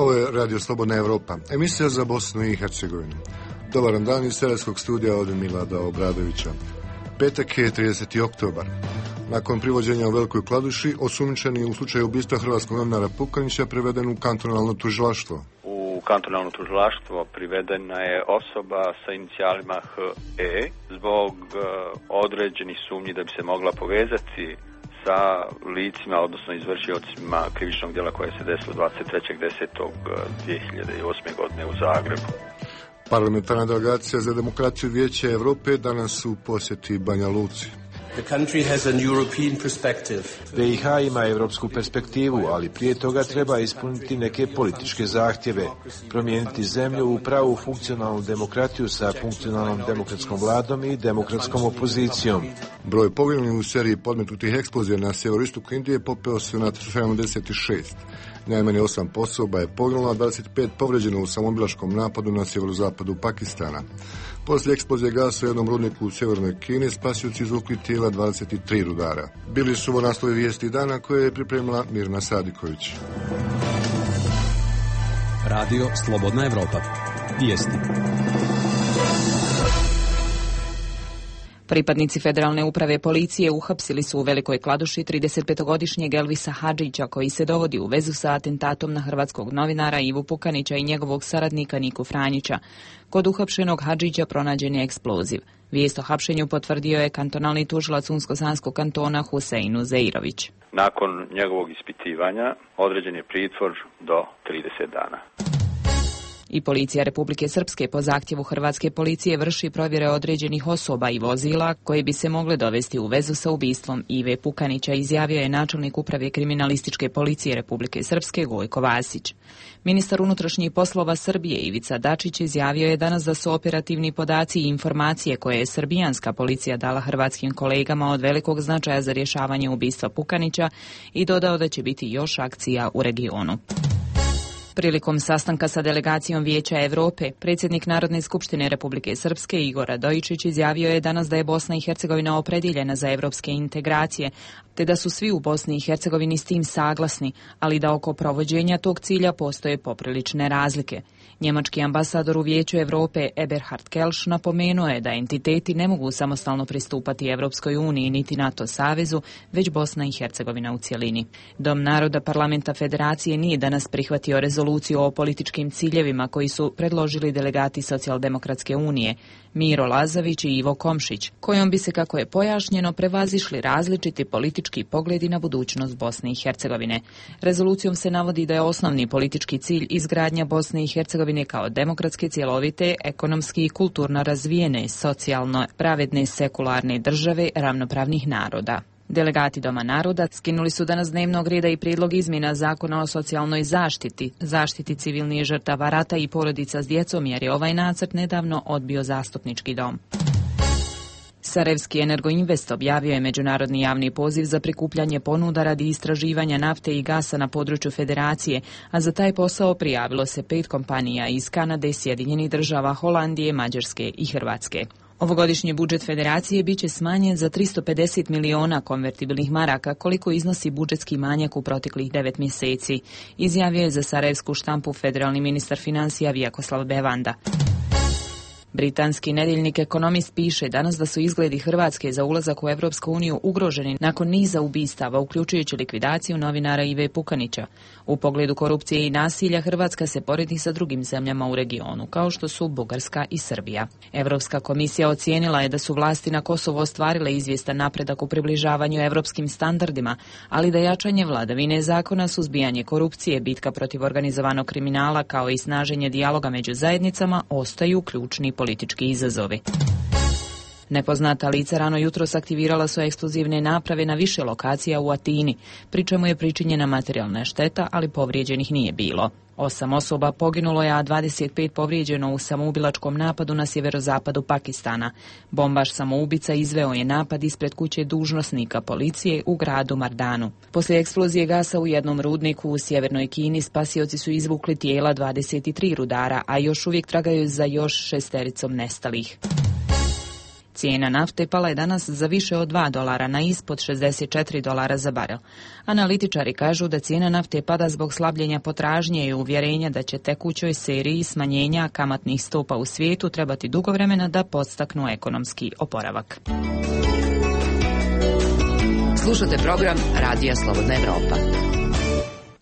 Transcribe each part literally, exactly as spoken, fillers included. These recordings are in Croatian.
Ovo je Radio Slobodna Evropa, emisija za Bosnu i Hercegovinu. Dobar dan iz serijskog studija od Milada Obradovića. Petak je trideseti oktobar. Nakon privođenja u Velikoj Kladuši, osumnjičeni u slučaju ubistva hrvatskog novinara Pukanića priveden u kantonalno tužilaštvo. U kantonalno tužilaštvo privedena je osoba sa inicijalima H E zbog uh, određenih sumnji da bi se mogla povezati sa licima, odnosno izvršiocima krivičnog djela koje se desilo dvadeset trećeg desetog dvije hiljade osme. godine u Zagrebu. Parlamentarna delegacija za demokraciju Vijeća Evrope danas u posjeti Banja Luci. B i H ima evropsku perspektivu, ali prije toga treba ispuniti neke političke zahtjeve, promijeniti zemlju u pravu funkcionalnu demokratiju sa funkcionalnom demokratskom vladom i demokratskom opozicijom. Broj poginulih u seriji podmetnutih eksplozija na sjeveroistoku Indije popeo se na sedamdeset šest. Najmanje osam osoba je poginulo, a dvadeset pet povređeno u samobilačkom napadu na sjeverozapadu Pakistana. Poslije eksplozije gasa u jednom rudniku u sjevernoj Kini spasioci izvukli tijela dvadeset tri rudara. Bili su ovo naslovi vijesti dana koje je pripremila Mirna Sadiković. Radio Slobodna Evropa. Vijesti. Pripadnici Federalne uprave policije uhapsili su u Velikoj Kladuši tridesetpetogodišnjeg Elvisa Hadžića, koji se dovodi u vezu sa atentatom na hrvatskog novinara Ivu Pukanića i njegovog saradnika Niku Franjića. Kod uhapšenog Hadžića pronađen je eksploziv. Vijest o hapšenju potvrdio je kantonalni tužilac Unsko-Sanskog kantona Husein Uzeirović. Nakon njegovog ispitivanja određen je pritvor do trideset dana. I policija Republike Srpske po zahtjevu hrvatske policije vrši provjere određenih osoba i vozila koje bi se mogle dovesti u vezu sa ubistvom Ive Pukanića, izjavio je načelnik uprave kriminalističke policije Republike Srpske Gojko Vasić. Ministar unutrašnjih poslova Srbije Ivica Dačić izjavio je danas da su operativni podaci i informacije koje je srbijanska policija dala hrvatskim kolegama od velikog značaja za rješavanje ubistva Pukanića i dodao da će biti još akcija u regionu. Prilikom sastanka sa delegacijom Vijeća Evrope, predsjednik Narodne skupštine Republike Srpske Igor Radojičić izjavio je danas da je Bosna i Hercegovina opredjeljena za evropske integracije, te da su svi u Bosni i Hercegovini s tim saglasni, ali da oko provođenja tog cilja postoje poprilične razlike. Njemački ambasador u Vijeću Evrope Eberhard Kelš napomenuo je da entiteti ne mogu samostalno pristupati Evropskoj uniji niti NATO savezu, već Bosna i Hercegovina u cjelini. Dom naroda Parlamenta Federacije nije danas prihvatio rezoluciju o političkim ciljevima koji su predložili delegati Socijaldemokratske unije Miro Lazavić i Ivo Komšić, kojom bi se, kako je pojašnjeno, prevazišli različiti politički pogledi na budućnost Bosne i Hercegovine. Rezolucijom se navodi da je osnovni politički cilj izgradnja Bosne i Hercegovine kao demokratske, cjelovite, ekonomski i kulturno razvijene, socijalno pravedne, sekularne države ravnopravnih naroda. Delegati Doma naroda skinuli su danas dnevnog reda i prijedlog izmjena zakona o socijalnoj zaštiti, zaštiti civilnih žrtava rata i porodica s djecom, jer je ovaj nacrt nedavno odbio zastupnički dom. Sarajevski Energoinvest objavio je međunarodni javni poziv za prikupljanje ponuda radi istraživanja nafte i gasa na području Federacije, a za taj posao prijavilo se pet kompanija iz Kanade, Sjedinjenih država, Holandije, Mađarske i Hrvatske. Ovogodišnji budžet Federacije biće smanjen za tristo pedeset miliona konvertibilnih maraka, koliko iznosi budžetski manjak u proteklih devet mjeseci, izjavio je za sarajevsku štampu federalni ministar financija Vjakoslav Bevanda. Britanski nedjeljnik Ekonomist piše danas da su izgledi Hrvatske za ulazak u Europsku uniju ugroženi nakon niza ubistava, uključujući likvidaciju novinara Ive Pukanića. U pogledu korupcije i nasilja Hrvatska se poredi sa drugim zemljama u regionu, kao što su Bugarska i Srbija. Europska komisija ocijenila je da su vlasti na Kosovu ostvarile izvjestan napredak u približavanju europskim standardima, ali da jačanje vladavine zakona, suzbijanje korupcije, bitka protiv organizovanog kriminala kao i snaženje dijaloga među zajednicama ostaju ključni politički izazovi. Nepoznata lica rano jutros aktivirala su eksplozivne naprave na više lokacija u Atini, pri čemu je pričinjena materijalna šteta, ali povrijeđenih nije bilo. Osam osoba poginulo je, a dvadeset pet povrijeđeno u samoubilačkom napadu na sjeverozapadu Pakistana. Bombaš samoubica izveo je napad ispred kuće dužnosnika policije u gradu Mardanu. Poslije eksplozije gasa u jednom rudniku u sjevernoj Kini spasioci su izvukli tijela dvadeset tri rudara, a još uvijek tragaju za još šestericom nestalih. Cijena nafte pala je danas za više od dva dolara na ispod šezdeset četiri dolara za barel. Analitičari kažu da cijena nafte pada zbog slabljenja potražnje i uvjerenja da će tekućoj seriji smanjenja kamatnih stopa u svijetu trebati dugo vremena da podstaknu ekonomski oporavak. Slušate program Radija Slobodna Evropa.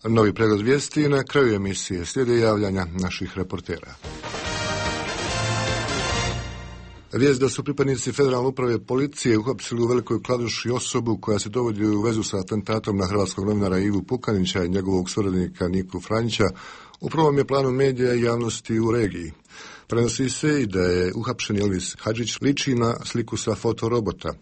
Novi pregled vijesti na kraju emisije. Slijede javljanja naših reportera. Vijest da su pripadnici Federalne uprave policije uhapsili u Velikoj Kladuši osobu koja se dovodi u vezu sa atentatom na hrvatskog novinara Ivu Pukanića i njegovog suradnika Niku Franjića u prvom je planu medija i javnosti u regiji. Prenosi se i da je uhapšen Elvis Hadžić liči na sliku sa fotorobota.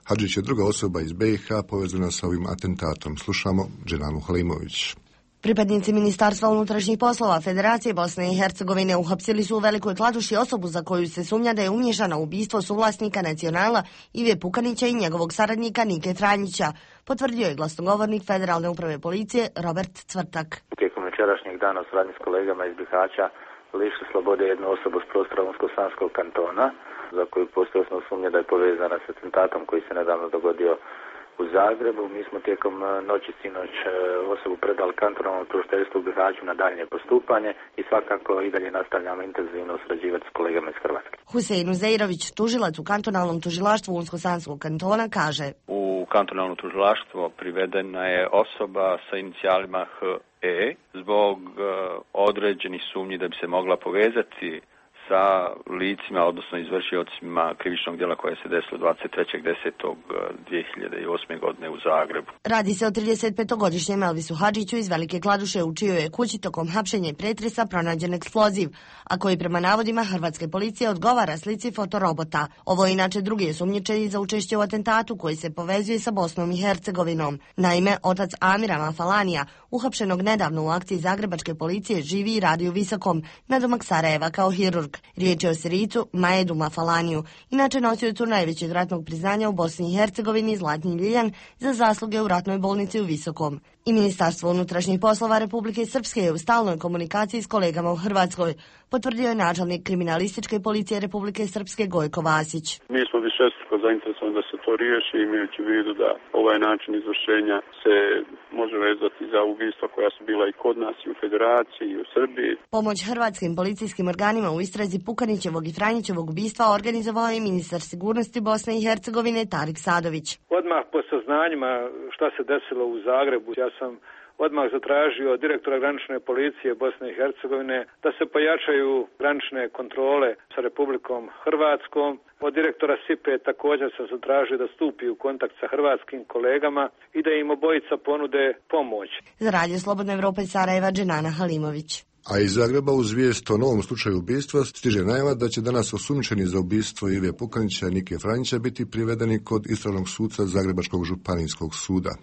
Hadžić je druga osoba iz B i H povezana sa ovim atentatom. Slušamo Dženanu Halimović. Pripadnici Ministarstva unutrašnjih poslova Federacije Bosne i Hercegovine uhapsili su u Velikoj Kladuši osobu za koju se sumnja da je umiješana u ubistvo suvlasnika Nacionala Ive Pukanića i njegovog saradnika Nike Franjića, potvrdio je glasnogovornik Federalne uprave policije Robert Cvrtak. Tijekom večerašnjeg dana u suradnji s kolegama iz Bihaća lišili slobode jednu osobu s prostora Unsko-Sanskog kantona, za koju postoji osnovna sumnja da je povezana s atentatom koji se nedavno dogodio u Zagrebu. Mi smo tijekom noći sinoć osobu predali kantonalnom tužiteljstvu u Bihaću na daljnje postupanje i svakako i dalje nastavljamo intenzivno surađivati s kolegama iz Hrvatske. Husein Uzeirović, tužilac u kantonalnom tužilaštvu Unsko-Sanskog kantona, kaže: U kantonalno tužilaštvo privedena je osoba sa inicijalima H E zbog određenih sumnji da bi se mogla povezati sa licima, odnosno izvršiocima krivičnog djela koje se desilo dvadeset trećeg desetog dvije hiljade osme. godine u Zagrebu. Radi se o tridesetpetogodišnjem Elvisu Hadžiću iz Velike Kladuše, u čijoj je kući tokom hapšenja i pretresa pronađen eksploziv, a koji prema navodima hrvatske policije odgovara slici fotorobota. Ovo je inače drugi osumnjičeni za učešće u atentatu koji se povezuje sa Bosnom i Hercegovinom. Naime, otac Amira Mafalanija, uhapšenog nedavno u akciji zagrebačke policije, živi i radi u Visokom, nadomak Sarajeva kao hirurg. Riječ je o Sirijicu Majedu Mafalaniju, inače nosiocu najvećeg ratnog priznanja u Bosni i Hercegovini Zlatni Ljiljan za zasluge u ratnoj bolnici u Visokom. I Ministarstvo unutrašnjih poslova Republike Srpske je u stalnoj komunikaciji s kolegama u Hrvatskoj, potvrdio je načelnik kriminalističke policije Republike Srpske Gojko Vasić. Mi smo višestruko zainteresovani da se to riješi, imajući u vidu da ovaj način izvršenja se može vezati za ubistva koja su bila i kod nas i u Federaciji i u Srbiji. Pomoć hrvatskim policijskim organima u istrazi Pukanićevog i Franjićevog ubistva organizovao je ministar sigurnosti Bosne i Hercegovine Tarik Sadović. Odmah po saznanjima šta se desilo u Zagrebu, ja sam odmah zatražio od direktora granične policije Bosne i Hercegovine da se pojačaju granične kontrole sa Republikom Hrvatskom. Od direktora S I P E također sam zatražio da stupi u kontakt sa hrvatskim kolegama i da im obojica ponude pomoć. Za Radio Slobodna Evropa iz Sarajeva, Dženana Halimović. A iz Zagreba uz vijest o novom slučaju ubistva stiže najava da će danas osumnjičeni za ubistvo Ive Pukanića i Nike Franjića biti privedeni kod istražnog suca Zagrebačkog županijskog suda.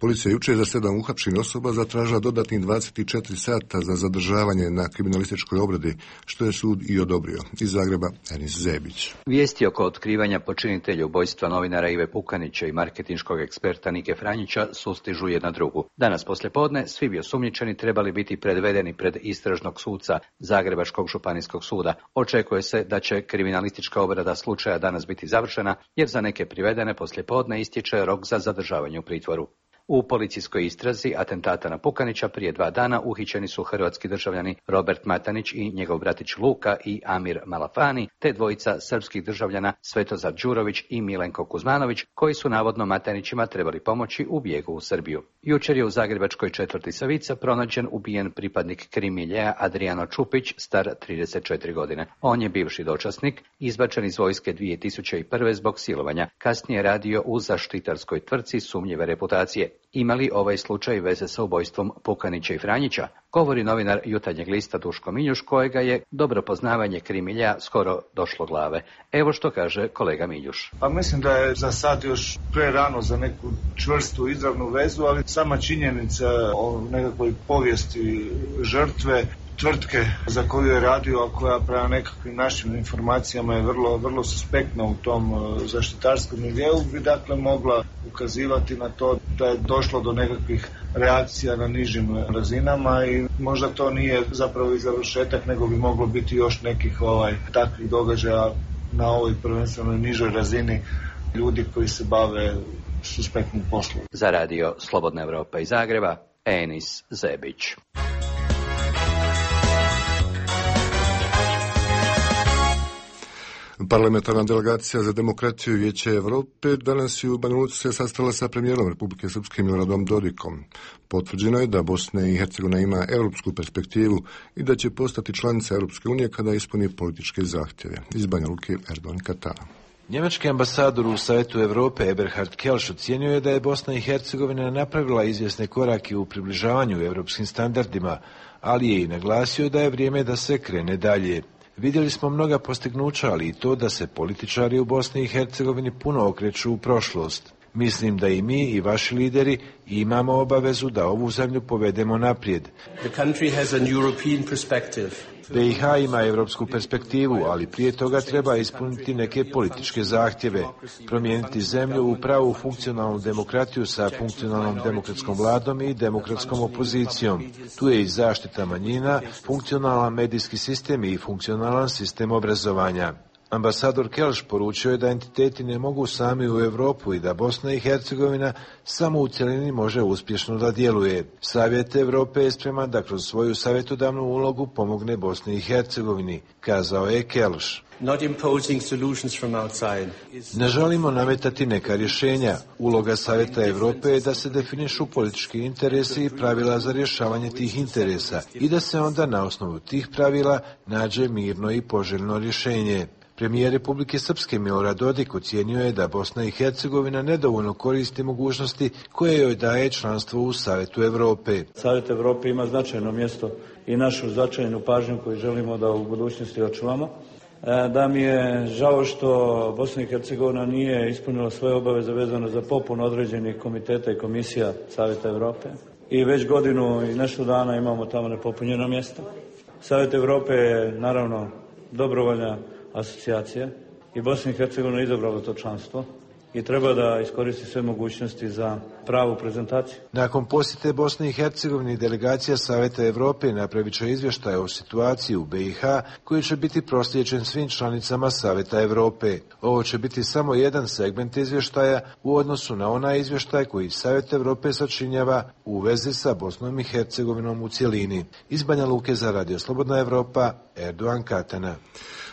Policija jučer za sedam uhapšenih osoba zatražila dodatnih dvadeset četiri sata za zadržavanje na kriminalističkoj obradi, što je sud i odobrio. Iz Zagreba, Enis Zebić. Vijesti oko otkrivanja počinitelja ubojstva novinara Ive Pukanića i marketinškog eksperta Nike Franjića sustižu jedna drugu. Danas poslijepodne svi bi osumnjičeni trebali biti predvedeni pred istražnog suca Zagrebačkog županijskog suda. Očekuje se da će kriminalistička obrada slučaja danas biti završena, jer za neke privedene poslijepodne istječe rok za zadržavanje u pritvoru. U policijskoj istrazi atentata na Pukanića prije dva dana uhićeni su hrvatski državljani Robert Matanić i njegov bratić Luka i Amir Malafani, te dvojica srpskih državljana Svetozar Đurović i Milenko Kuzmanović, koji su navodno Matanićima trebali pomoći u bijegu u Srbiju. Jučer je u zagrebačkoj četvrti Savica pronađen ubijen pripadnik Krimiljeja Adriano Čupić, star trideset četiri godine. On je bivši dočasnik, izbačen iz vojske dvije tisuće prve. zbog silovanja. Kasnije radio u zaštitarskoj tvrtci sumnjive reputacije. Ima li ovaj slučaj veze sa ubojstvom Pukanića i Franjića? Govori novinar Jutarnjeg lista Duško Miljuš, kojega je dobro poznavanje Krimilja skoro došlo glave. Evo što kaže kolega Miljuš. Pa mislim da je za sad još pre rano za neku čvrstu izravnu vezu, ali sama činjenica o nekakvoj povijesti žrtve tvrtke za koju je radio, a koja prema nekakvim našim informacijama je vrlo, vrlo suspektna u tom zaštitarskom miljeu, bi dakle mogla ukazivati na to da je došlo do nekakvih reakcija na nižim razinama i možda to nije zapravo i završetak, nego bi moglo biti još nekih ovaj takvih događaja na ovoj prvenstveno nižoj razini ljudi koji se bave suspektnim poslom. Za radio Slobodna Evropa iz Zagreba, Enis Zebić. Parlamentarna delegacija za demokraciju Vijeća Evrope danas je u Banja Luci se sastala sa premijerom Republike Srpske Miloradom Dodikom. Potvrđeno je da Bosna i Hercegovina ima europsku perspektivu i da će postati članica Europske unije kada ispuni političke zahtjeve. Iz Banja Luke, Erdogan Katana. Njemački ambasador u Savjetu Europe Eberhard Kelš ocijenio je da je Bosna i Hercegovina napravila izvjesne korake u približavanju europskim standardima, ali je i naglasio da je vrijeme da se krene dalje. Vidjeli smo mnoga postignuća, ali i to da se političari u Bosni i Hercegovini puno okreću u prošlost. Mislim da i mi i vaši lideri imamo obavezu da ovu zemlju povedemo naprijed. B i H ima europsku perspektivu, ali prije toga treba ispuniti neke političke zahtjeve, promijeniti zemlju u pravu funkcionalnu demokratiju sa funkcionalnom demokratskom vladom i demokratskom opozicijom. Tu je i zaštita manjina, funkcionalan medijski sistem i funkcionalan sistem obrazovanja. Ambasador Kelš poručio je da entiteti ne mogu sami u Europu i da Bosna i Hercegovina samo u cjelini može uspješno da djeluje. Savjet Europe je spreman da kroz svoju savjetodavnu ulogu pomogne Bosni i Hercegovini, kazao je Kelš. Ne želimo nametati neka rješenja. Uloga Savjeta Europe je da se definišu politički interesi i pravila za rješavanje tih interesa i da se onda na osnovu tih pravila nađe mirno i poželjno rješenje. Premijer Republike Srpske Milorad Dodik ocijenio je da Bosna i Hercegovina nedovoljno koristi mogućnosti koje joj daje članstvo u Savjetu Europe. Savjet Europe ima značajno mjesto i našu značajnu pažnju koju želimo da u budućnosti očuvamo. Da mi je žao što Bosna i Hercegovina nije ispunila svoje obaveze vezano za popunu određenih komiteta i komisija Savjeta Europe. I već godinu i nešto dana imamo tamo nepopunjena mjesta. Savjet Europe je naravno dobrovoljna asocijacija i Bosna i Hercegovina je izabrala to članstvo i treba da iskoristi sve mogućnosti za pravu prezentaciju. Nakon posjete Bosne i Hercegovine, delegacija Savjeta Europe napravit će izvještaj o situaciji u B i H koji će biti proslijeđen svim članicama Savjeta Europe. Ovo će biti samo jedan segment izvještaja u odnosu na onaj izvještaj koji Savjet Europe sačinjava u vezi sa Bosnom i Hercegovinom u cjelini. Iz Banja Luke za radio Slobodna Evropa, Erdogan Katana.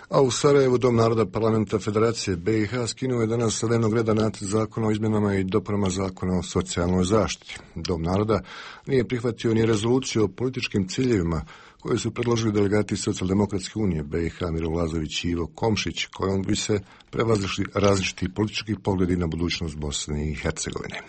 A u Sarajevu Dom naroda Parlamenta Federacije B i H skinuo je danas sa dnevnog reda nacrt zakona o izmjenama i dopunama zakona o socijalnoj zaštiti. Dom naroda nije prihvatio ni rezoluciju o političkim ciljevima koje su predložili delegati Socijaldemokratske unije B i H Miro Lazović i Ivo Komšić, kojom bi se prevazili različiti politički pogledi na budućnost Bosne i Hercegovine.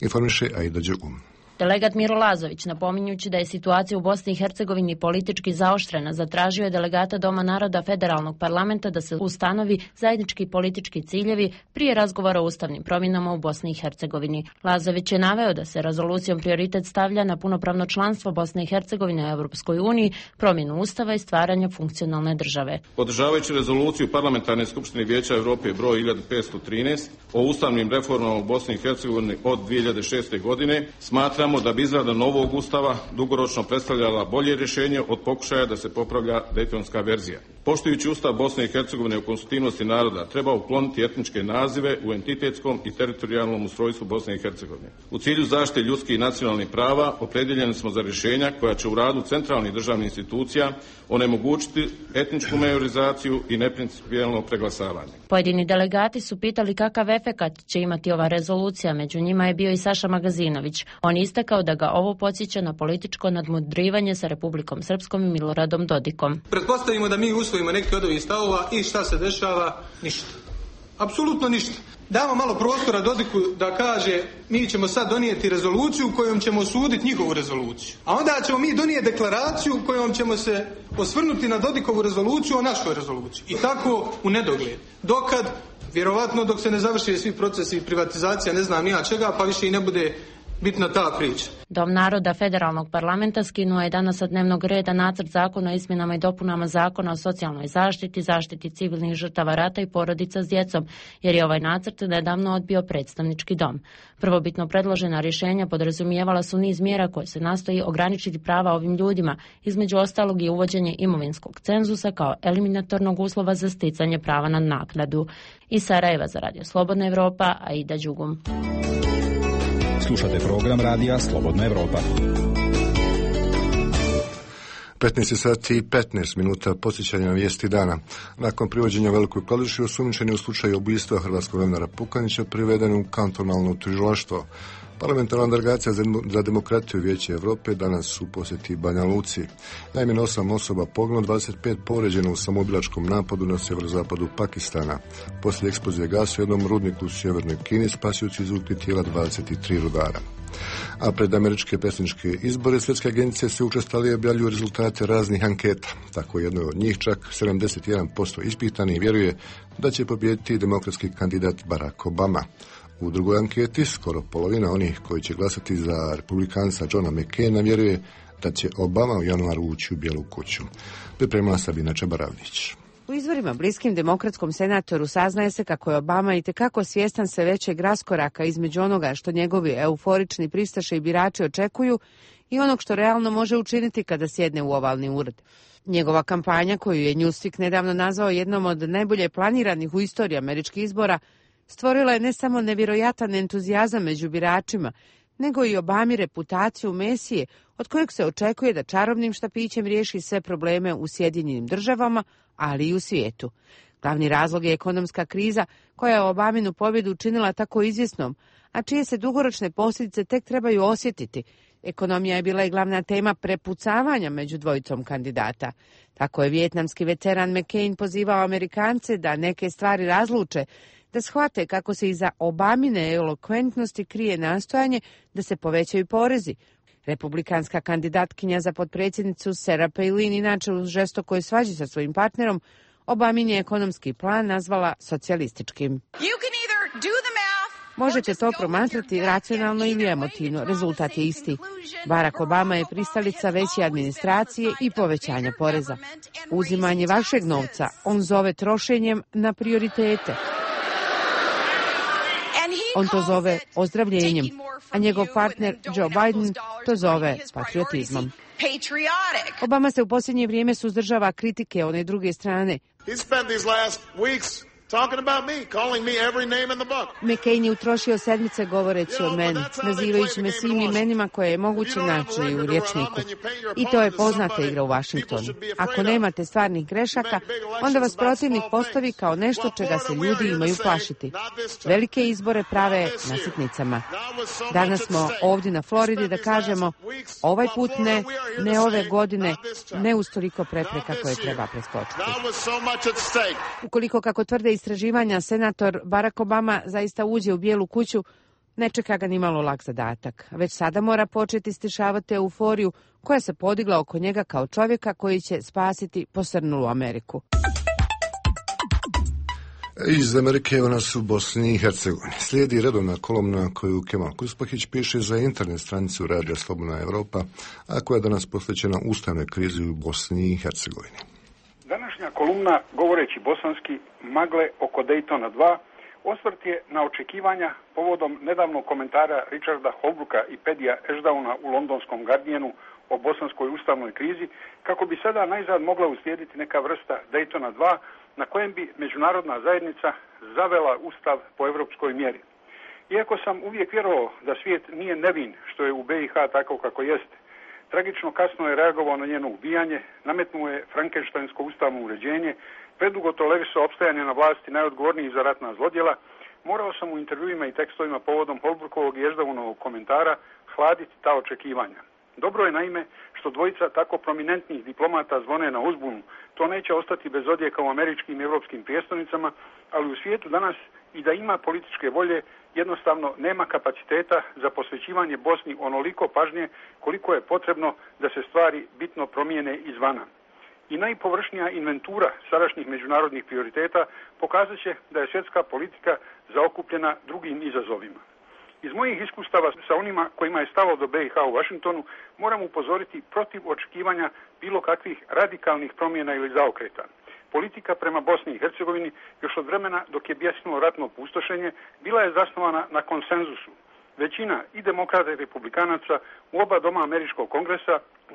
Informiše Aida Đugum. Delegat Miro Lazović, napominjući da je situacija u Bosni i Hercegovini politički zaoštrena, zatražio je delegata Doma naroda Federalnog parlamenta da se ustanovi zajednički politički ciljevi prije razgovora o ustavnim promjenama u Bosni i Hercegovini. Lazović je naveo da se rezolucijom prioritet stavlja na punopravno članstvo Bosne i Hercegovine u Europskoj uniji, promjenu ustava i stvaranje funkcionalne države. Podržavajući rezoluciju Parlamentarne skupštine Vijeća Europe broj hiljadu petsto trinaest o ustavnim reformama u Bosni i Hercegovini od dvije hiljade šeste. godine, smatramo da bi izrada novog ustava dugoročno predstavljala bolje rješenje od pokušaja da se popravlja dejtonska verzija. Poštujući Ustav Bosne i Hercegovine o konstitutivnosti naroda, treba ukloniti etničke nazive u entitetskom i teritorijalnom ustrojstvu Bosne i Hercegovine. U cilju zaštite ljudskih i nacionalnih prava opredjeljeni smo za rješenja koja će u radu centralnih državnih institucija onemogućiti etničku majorizaciju i neprincipijelno preglasavanje. Pojedini delegati su pitali kakav efekat će imati ova rezolucija, među njima je bio i Saša Magazinović. On istakao da ga ovo podsjeća na političko nadmudrivanje sa Republikom Srpskom i Miloradom Dodikom. Pretpostavimo da mi usvojimo neki od ovih stavova i šta se dešava? Ništa. Apsolutno ništa. Damo malo prostora Dodiku da kaže mi ćemo sad donijeti rezoluciju kojom ćemo osuditi njihovu rezoluciju. A onda ćemo mi donijeti deklaraciju kojom ćemo se osvrnuti na Dodikovu rezoluciju o našoj rezoluciji. I tako u nedogled. Dokad, vjerovatno dok se ne završe svi procesi i privatizacija, ne znam ja čega, pa više i ne bude bitna ta priča. Dom naroda Federalnog parlamenta skinuo je danas sa dnevnog reda nacrt zakona o izmjenama i dopunama zakona o socijalnoj zaštiti, zaštiti civilnih žrtava rata i porodica s djecom, jer je ovaj nacrt nedavno odbio predstavnički dom. Prvobitno predložena rješenja podrazumijevala su niz mjera koje se nastoji ograničiti prava ovim ljudima, između ostalog i uvođenje imovinskog cenzusa kao eliminatornog uslova za sticanje prava na naknadu. Iz Sarajeva za Radio Slobodna Evropa, Aida Đugum. Slušate program Radija Slobodna Evropa. petnaest sati i petnaest minuta posjećanja na vijesti dana. Nakon privođenja Velikoj Kladuši, osumnjičeni u slučaju ubistva hrvatskog novinara Pukanića priveden u kantonalno tužilaštvo. Parlamentarna delegacija za demokratiju Vijeća Europe danas su u posjeti Banja Luci. Najmanje osam osoba poginulo, dvadeset pet povrijeđeno u samoubilačkom napadu na sjeverozapadu Pakistana. Poslije eksplozije gasa u jednom rudniku u sjevernoj Kini spasioci izvukli tijela dvadeset tri rudara. A pred američke predsjedničke izbore svjetske agencije se učestalije objavljuju rezultate raznih anketa. Tako jednoj od njih čak sedamdeset jedan posto ispitanih vjeruje da će pobijediti demokratski kandidat Barack Obama. U drugoj anketi skoro polovina onih koji će glasati za republikanca Johna McCaina vjeruje da će Obama u januaru ući u Bijelu kuću. Pripremila Sabina Čabaravnić. U izvorima bliskim demokratskom senatoru saznaje se kako je Obama itekako svjestan sve većeg raskoraka između onoga što njegovi euforični pristaše i birači očekuju i onog što realno može učiniti kada sjedne u ovalni ured. Njegova kampanja, koju je Newsweek nedavno nazvao jednom od najbolje planiranih u istoriji američkih izbora, stvorila je ne samo nevjerojatan entuzijazam među biračima, nego i Obami reputaciju Mesije, od kojeg se očekuje da čarobnim štapićem riješi sve probleme u Sjedinjenim državama, ali i u svijetu. Glavni razlog je ekonomska kriza, koja je Obaminu pobjedu učinila tako izvjesnom, a čije se dugoročne posljedice tek trebaju osjetiti. Ekonomija je bila i glavna tema prepucavanja među dvojicom kandidata. Tako je vijetnamski veteran McCain pozivao Amerikance da neke stvari razluče, da shvate kako se iza Obamine elokventnosti krije nastojanje da se povećaju porezi. Republikanska kandidatkinja za potpredsjednicu Sarah Palin, inače u žestokoj svađi sa svojim partnerom, Obamin je ekonomski plan nazvala socijalističkim. Možete to promatrati racionalno ili emotivno, rezultat je isti. Barack Obama je pristalica veće administracije i povećanja poreza. Uzimanje vašeg novca on zove trošenjem na prioritete. On to zove ozdravljenjem, a njegov partner Joe Biden to zove patriotizmom. Obama se u posljednje vrijeme suzdržava kritike one druge strane. McCain je utrošio sedmice govoreći o meni, nazivajući me svim imenima koje je moguće naći u rječniku. I to je poznata igra u Washingtonu. Ako nemate stvarnih grešaka, onda vas protivnik postavi kao nešto čega se ljudi imaju plašiti. Velike izbore prave na sitnicama. Danas smo ovdje na Floridi da kažemo ovaj put ne, ne ove godine, ne uz toliko prepreka koje treba preskočiti. Ukoliko, kako tvrde istraživanja, senator Barack Obama zaista uđe u Bijelu kuću, ne čeka ga nimalo lak zadatak. Već sada mora početi stišavati euforiju koja se podigla oko njega kao čovjeka koji će spasiti posrnulu Ameriku. Iz Amerike evo nas u Bosni i Hercegovini. Slijedi redovna kolumna koju Kemal Kuspahić piše za internet stranicu Radija Slobodna Evropa, a koja je danas posvećena ustavnoj krizi u Bosni i Hercegovini. Današnja kolumna, govoreći bosanski, magle oko Daytona dva, osvrt je na očekivanja povodom nedavnog komentara Richarda Holbrooka i Pedija Ashdowna u londonskom Guardianu o bosanskoj ustavnoj krizi, kako bi sada najzad mogla uslijediti neka vrsta Daytona dva, na kojem bi međunarodna zajednica zavela ustav po evropskoj mjeri. Iako sam uvijek vjerovao da svijet nije nevin, što je u B i H tako kako jeste, tragično kasno je reagovao na njeno ubijanje, nametnuo je frankenštajnsko ustavno uređenje, predugo tolerisao opstajanje na vlasti najodgovornijih za ratna zlodjela, morao sam u intervjuima i tekstovima povodom Holbrookovog i Ashdonovog komentara hladiti ta očekivanja. Dobro je naime što dvojica tako prominentnih diplomata zvone na uzbunu. To neće ostati bez odjeka u američkim i europskim prijestolnicama, ali u svijetu danas i da ima političke volje, jednostavno nema kapaciteta za posvećivanje Bosni onoliko pažnje koliko je potrebno da se stvari bitno promijene izvana. I najpovršnija inventura sadašnjih međunarodnih prioriteta pokazat će da je svjetska politika zaokupljena drugim izazovima. Iz mojih iskustava sa onima kojima je stalo do B i H u Vašingtonu moram upozoriti protiv očekivanja bilo kakvih radikalnih promjena ili zaokreta. Politika prema Bosni i Hercegovini još od vremena dok je bjesnulo ratno pustošenje bila je zasnovana na konsenzusu. Većina i demokrata i republikanaca u oba doma američkog kongresa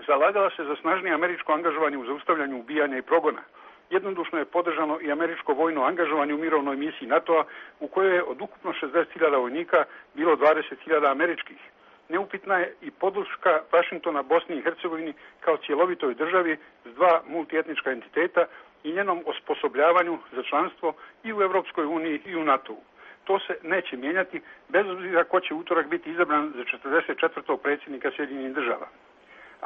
zalagala se za snažnije američko angažovanje u zaustavljanju ubijanja i progona. Jednodušno je podržano i američko vojno angažovanje u mirovnoj misiji NATO-a u kojoj je od ukupno šezdeset hiljada vojnika bilo dvadeset hiljada američkih. Neupitna je i podrška Vašingtona Bosni i Hercegovini kao cjelovitoj državi s dva multietnička entiteta i njenom osposobljavanju za članstvo i u Europskoj uniji i u NATO-u. To se neće mijenjati bez obzira ko će utorak biti izabran za četrdeset četvrtog predsjednika Sjedinjenih država.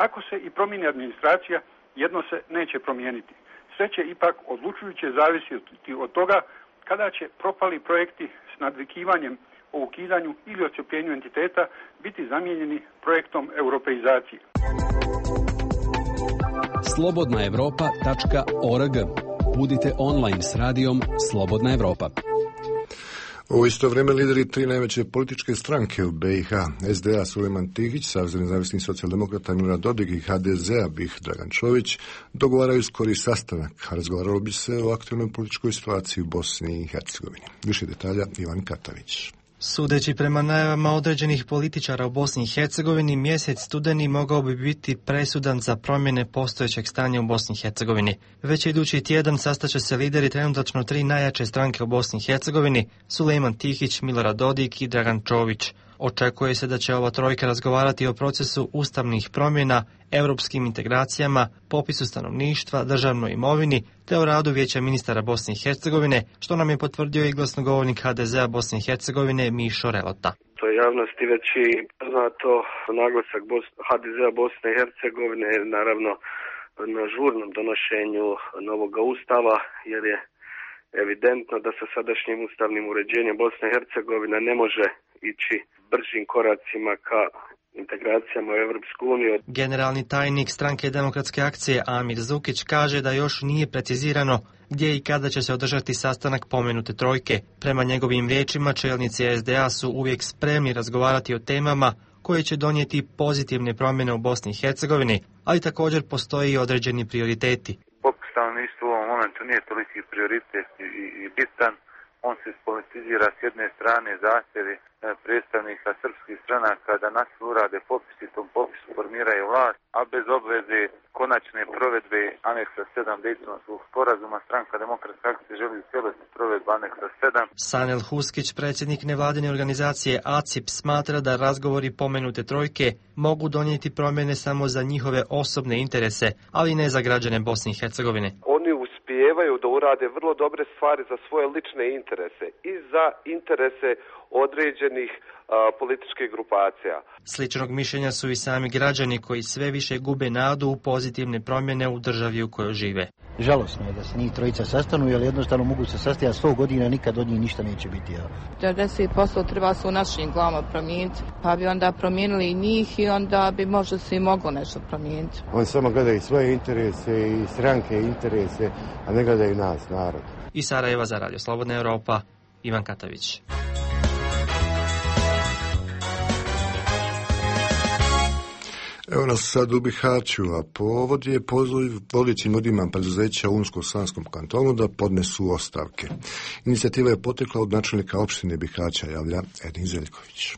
Ako se i promijeni administracija, jedno se neće promijeniti. Sve će ipak odlučujuće zavisiti od toga kada će propali projekti s nadvikivanjem o ukidanju ili odcjepljenju entiteta biti zamijenjeni projektom europeizacije. slobodna europa tačka org. Budite online s radijom Slobodna Evropa. U isto vrijeme lideri tri najveće političke stranke u B i H, S D A Sulejman Tihić, Savez nezavisnih socijaldemokrata Milorad Dodik i H D Z-a Bih Dragan Čović dogovaraju skori sastanak, a razgovaralo bi se o aktualnoj političkoj situaciji u Bosni i Hercegovini. Više detalja Ivan Katavić. Sudeći prema najavama određenih političara u Bosni i Hercegovini, mjesec studeni mogao bi biti presudan za promjene postojećeg stanja u Bosni i Hercegovini. Već idući tjedan sastaće se lideri trenutačno tri najjače stranke u Bosni i Hercegovini, Sulejman Tihić, Milorad Dodik i Dragan Čović. Očekuje se da će ova trojka razgovarati o procesu ustavnih promjena, europskim integracijama, popisu stanovništva, državnoj imovini, te o radu Vijeća ministara Bosne i Hercegovine, što nam je potvrdio i glasnogovornik H D Z-a Bosne i Hercegovine Mišo Relota. To je javnosti već i poznato, naglasak H D Z-a Bosne i Hercegovine je naravno na žurnom donošenju novog ustava, jer je evidentno da sa sadašnjim ustavnim uređenjem Bosne i Hercegovina ne može ići bržim koracima ka integracijama u Europsku uniju. Generalni tajnik Stranke demokratske akcije Amir Zukić kaže da još nije precizirano gdje i kada će se održati sastanak pomenute trojke. Prema njegovim riječima, čelnici S D A su uvijek spremni razgovarati o temama koje će donijeti pozitivne promjene u Bosni i Hercegovini, ali također postoji i određeni prioriteti. Popis stanovništva u ovom momentu nije toliki prioritet i, i bitan. On se spolitizira s jedne strane zahtjevi predstavnika srpskih stranaka da nas urade popis i tom popisu formiraju vlast, a bez obveze konačne provedbe aneksa sedam Dejtonskog sporazuma Stranka demokratske akcije želi u cijelosti provedbu aneksa sedam. Sanel Huskić, predsjednik nevladine organizacije A C I P, smatra da razgovori pomenute trojke mogu donijeti promjene samo za njihove osobne interese, ali ne za građane Bosne i Hercegovine. Oni uspijevaju da urade vrlo dobre stvari za svoje lične interese i za interese određenih a, političkih grupacija. Sličnog mišljenja su i sami građani koji sve više gube nadu u pozitivne promjene u državi u kojoj žive. Žalosno je da se njih trojica sastanu, jer jednostavno mogu se sastajati sto godina, nikad od njih ništa neće biti. devedeset posto treba se u našim glavama promijeniti, pa bi onda promijenili i njih i onda bi možda se i moglo nešto promijeniti. Oni samo gledaju svoje interese i stranke interese, a ne gledaju nas, narod. Iz Sarajeva za Radio Slobodna Europa, Ivan Katavić. Evo nas sad u Bihaću, a povod je poziv vodećim ljudima preduzeća u Unsko-Sanskom kantonu da podnesu ostavke. Inicijativa je potekla od načelnika opštine Bihaća, javlja Edin Zeljković.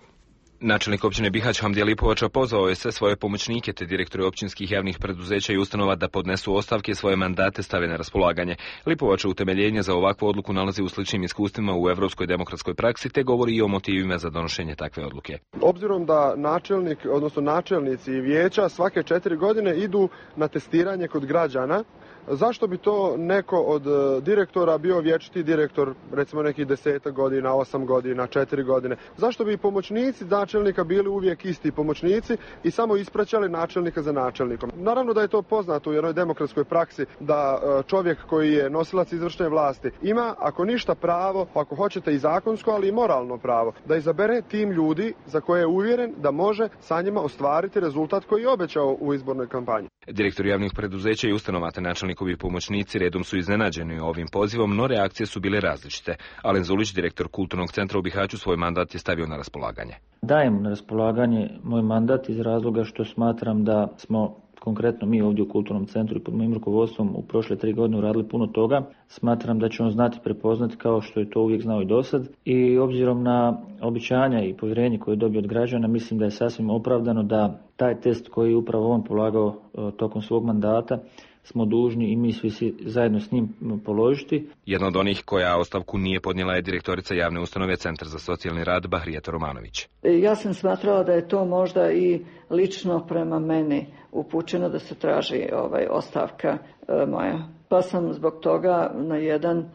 Načelnik općine Bihać Hamdija Lipovača pozvao je sve svoje pomoćnike te direktore općinskih javnih preduzeća i ustanova da podnesu ostavke i svoje mandate stave na raspolaganje. Lipovača utemeljenje za ovakvu odluku nalazi u sličnim iskustvima u evropskoj demokratskoj praksi te govori i o motivima za donošenje takve odluke. Obzirom da načelnik, odnosno načelnici i vijeća svake četiri godine idu na testiranje kod građana, zašto bi to neko od direktora bio vječiti direktor, recimo nekih desetak godina, osam godina, četiri godine? Zašto bi pomoćnici načelnika bili uvijek isti pomoćnici i samo ispraćali načelnika za načelnikom? Naravno da je to poznato u jednoj demokratskoj praksi da čovjek koji je nosilac izvršne vlasti ima, ako ništa, pravo, ako hoćete i zakonsko, ali i moralno pravo, da izabere tim ljudi za koje je uvjeren da može sa njima ostvariti rezultat koji je obećao u izbornoj kampanji. Direktori javnih preduzeća i ustanova te načelnikovi pomoćnici redom su iznenađeni ovim pozivom, no reakcije su bile različite. Alen Zulić, direktor Kulturnog centra u Bihaću, svoj mandat je stavio na raspolaganje. Dajem na raspolaganje moj mandat iz razloga što smatram da smo, konkretno mi ovdje u Kulturnom centru i pod mojim rukovodstvom, u prošle tri godine uradili puno toga. Smatram da će on znati prepoznati kao što je to uvijek znao i dosad. I obzirom na obećanja i povjerenje koje je dobio od građana, mislim da je sasvim opravdano da taj test koji je upravo on polagao tokom svog mandata smo dužni i mi svi zajedno s njim položiti. Jedna od onih koja ostavku nije podnijela je direktorica javne ustanove Centar za socijalni rad Bahrijeta Romanović. Ja sam smatrala da je to možda i lično prema meni upućeno da se traži ovaj, ostavka e, moja. Pa sam zbog toga na jedan e,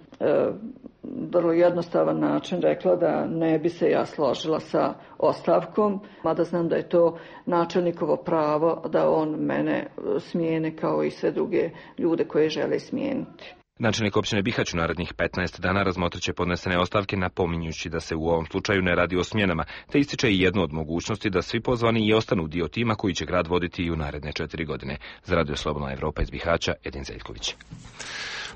vrlo jednostavan način rekla da ne bi se ja složila sa ostavkom, mada znam da je to načelnikovo pravo da on mene smijeni kao i sve druge ljude koje žele smijeniti. Načelnik općine Bihać u narednih petnaest dana razmotrit će podnesene ostavke, napominjući da se u ovom slučaju ne radi o smjenama, te ističe i jednu od mogućnosti da svi pozvani i ostanu dio tima koji će grad voditi i u naredne četiri godine. Za Radio Slobodna Evropa iz Bihaća, Edin Zeljković.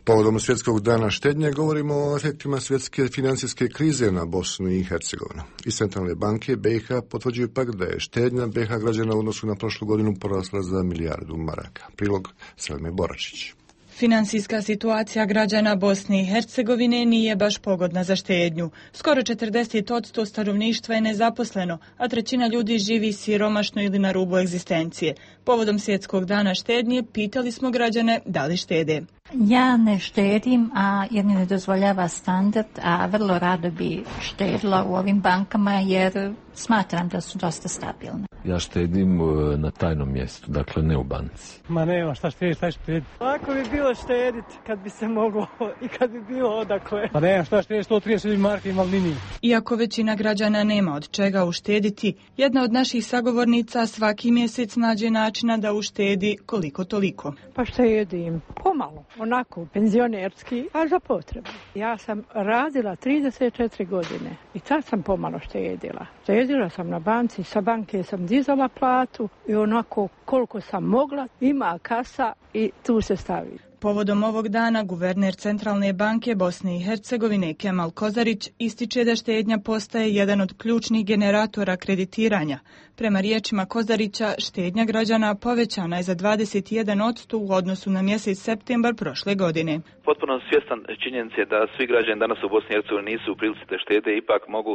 Povodom Svjetskog dana štednje govorimo o efektima svjetske financijske krize na Bosnu i Hercegovinu. Iz Centralne banke B i H potvrđuju pak da je štednja B i H građana u odnosu na prošlu godinu porasla za milijardu maraka. Prilog Selme Boračić. Financijska situacija građana Bosne i Hercegovine nije baš pogodna za štednju. Skoro četrdeset posto stanovništva je nezaposleno, a trećina ljudi živi siromašno ili na rubu egzistencije. Povodom Svjetskog dana štednje pitali smo građane da li štede. Ja ne štedim, a jer mi ne dozvoljava standard, a vrlo rado bi štedila u ovim bankama jer smatram da su dosta stabilne. Ja štedim na tajnom mjestu, dakle ne u banci. Ma nema šta štediti, šta štediti. Lako bi bilo štediti kad bi se moglo i kad bi bilo odakle. Pa nema šta štediti, sto trideset marki imam liniji. Iako većina građana nema od čega uštediti, jedna od naših sagovornica svaki mjesec nađe načina da uštedi koliko toliko. Pa štedim pomalo, onako penzionerski, a za potrebu. Ja sam radila trideset četiri godine i tad sam pomalo štedila. Štedila sam na banci, sa banke sam dizala platu i onako koliko sam mogla, ima kasa i tu se stavi. Povodom ovog dana guverner Centralne banke Bosne i Hercegovine Kemal Kozarić ističe da štednja postaje jedan od ključnih generatora kreditiranja. Prema riječima Kozarića, štednja građana povećana je za dvadeset jedan posto u odnosu na mjesec septembar prošle godine. Potpuno svjestan činjenice da svi građani danas u Bosni i Hercegovini nisu u prilici da štede, ipak mogu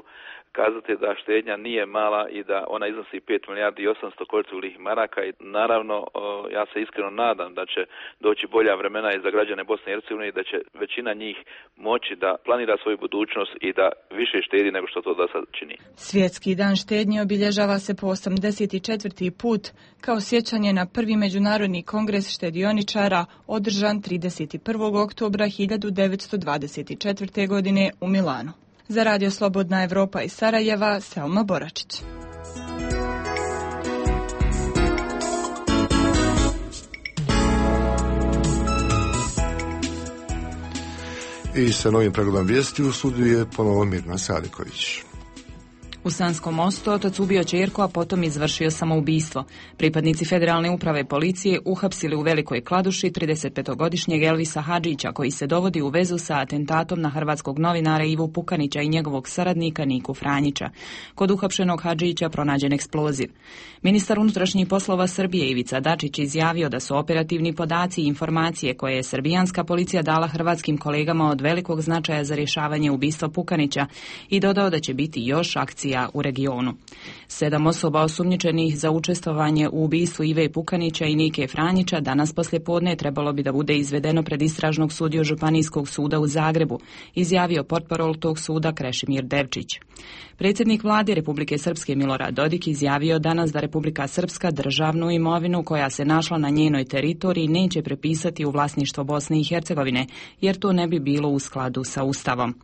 kazati da štednja nije mala i da ona iznosi pet milijardi i osamsto kolicovih maraka i naravno ja se iskreno nadam da će doći bolja vremena i za građane Bosne i Hercegovine i da će većina njih moći da planira svoju budućnost i da više štedi nego što to do sad čini. Svjetski dan štednje obilježava se po osamdeset četvrti put kao sjećanje na prvi međunarodni kongres štedioničara održan trideset prvog oktobra hiljadu devetsto dvadeset četvrte godine u Milanu. Za Radio Slobodna Evropa iz Sarajeva, Selma Boračić. I sa novim pregledom vijesti u studiju je ponovo Mirna Sadiković. U Sanskom Mostu otac ubio ćerku, a potom izvršio samoubistvo. Pripadnici Federalne uprave policije uhapsili u Velikoj Kladuši tridesetpetogodišnjeg Elvisa Hadžića, koji se dovodi u vezu sa atentatom na hrvatskog novinara Ivu Pukanića i njegovog saradnika Niku Franjića. Kod uhapšenog Hadžića pronađen eksploziv. Ministar unutrašnjih poslova Srbije Ivica Dačić izjavio da su operativni podaci i informacije koje je srbijanska policija dala hrvatskim kolegama od velikog značaja za rješavanje ubistva Pukanića i dodao da će biti još akcija u regionu. Sedam osoba osumnjičenih za učestvovanje u ubistvu Ive Pukanića i Nike Franjića danas poslijepodne trebalo bi da bude izvedeno pred istražnog sudiju Županijskog suda u Zagrebu, izjavio portparol tog suda Krešimir Devčić. Predsjednik vlade Republike Srpske Milorad Dodik izjavio danas da Republika Srpska državnu imovinu koja se našla na njenoj teritoriji neće prepisati u vlasništvo Bosne i Hercegovine, jer to ne bi bilo u skladu sa Ustavom.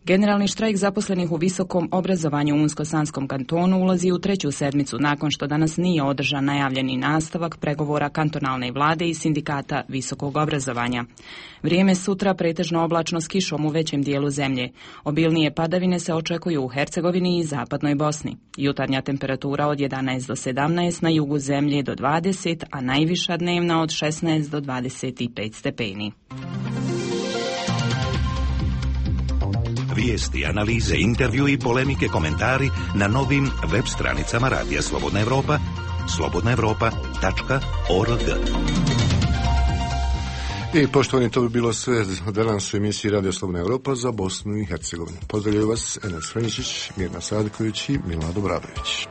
Generalni štrajk zaposlenih u visokom obrazovanju u Unsko-Sanskom kantonu ulazi u treću sedmicu nakon što danas nije održan najavljeni nastavak pregovora kantonalne vlade i sindikata visokog obrazovanja. Vrijeme sutra pretežno oblačno s kišom u većem dijelu zemlje. Obilnije padavine se očekuju u Hercegovini i zapadnoj Bosni. Jutarnja temperatura od jedanaest do sedamnaest, na jugu zemlje do dvadeset, a najviša dnevna od šesnaest do dvadeset pet stepeni. Vijesti, analize, intervju i polemike, komentari na novim web stranicama Radija Slobodna Evropa, slobodna evropa tačka org. I poštovani, to bi bilo sve danas u emisiji Radio Slobodna Evropa za Bosnu i Hercegovinu. Pozdravljaju vas Enes Franičić, Mirna Sadiković i Milado Bradović.